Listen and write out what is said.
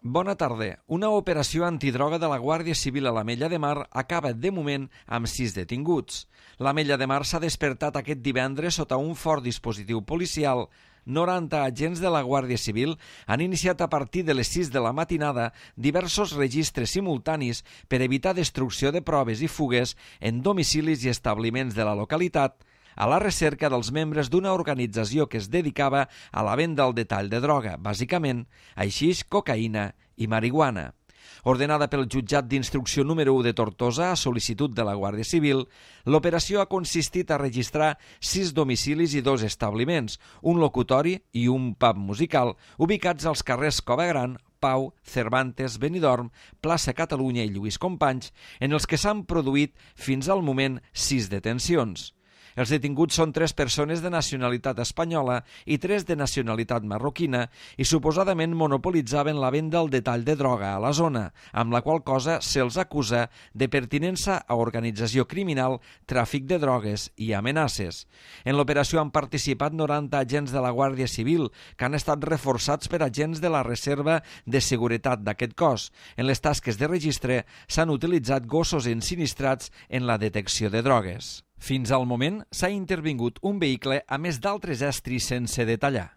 Bona tarda. Una operació antidroga de la Guàrdia Civil a l'Ametlla de Mar acaba, de moment, amb 6 detinguts. L'Ametlla de Mar s'ha despertat aquest divendres sota un fort dispositiu policial. 90 agents de la Guàrdia Civil han iniciat a partir de les 6 de la matinada diversos registres simultanis per evitar destrucció de proves i fugues en domicilis i establiments de la localitat, a la recerca dels membres d'una organització que es dedicava a la venda al detall de droga, bàsicament haixix, cocaïna i marihuana. Ordenada pel jutjat d'instrucció número 1 de Tortosa a sol·licitud de la Guàrdia Civil, l'operació ha consistit a registrar 6 domicilis i 2 establiments, un locutori i un pub musical, ubicats als carrers Cova Gran, Pau, Cervantes, Benidorm, Plaça Catalunya i Lluís Companys, en els que s'han produït fins al moment 6 detencions. Els detinguts són 3 persones de nacionalitat espanyola i 3 de nacionalitat marroquina i suposadament monopolitzaven la venda al detall de droga a la zona, amb la qual cosa se'ls acusa de pertinença a organització criminal, tràfic de drogues i amenaces. En l'operació han participat 90 agents de la Guàrdia Civil que han estat reforçats per agents de la Reserva de Seguretat d'aquest cos. En les tasques de registre s'han utilitzat gossos ensinistrats en la detecció de drogues. Fins al moment s'ha intervingut un vehicle a més d'altres estris sense detallar.